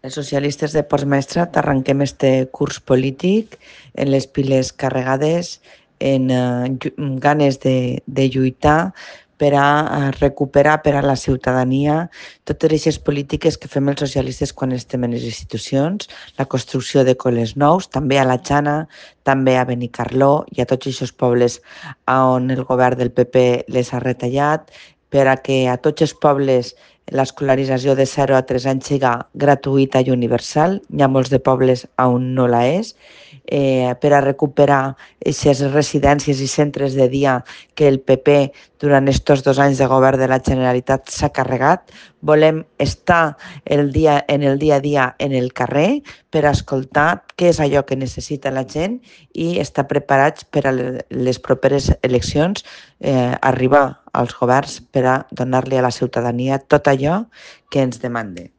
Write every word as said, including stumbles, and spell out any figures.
Els socialistes de Postmaestrat arrenquem este curs polític en les piles carregades, en eh, ganes de, de lluitar per a recuperar per a la ciutadania totes aquestes polítiques que fem els socialistes quan estem en les institucions, la construcció de col·les nous, també a la Xana, també a Benicarló i a tots aquests pobles on el govern del P P les ha retallat, per a que a tots els pobles l'escolarització de zero a tres anys siga gratuïta i universal. Hi ha molts de pobles on no la és. Eh, per a recuperar aquestes residències i centres de dia que el P P durant aquests dos anys de govern de la Generalitat s'ha carregat. Volem estar el dia, en el dia a dia en el carrer per a escoltar què és allò que necessita la gent i estar preparats per a les properes eleccions, eh, arribar als governs per a donar-li a la ciutadania tot allò que ens demanda.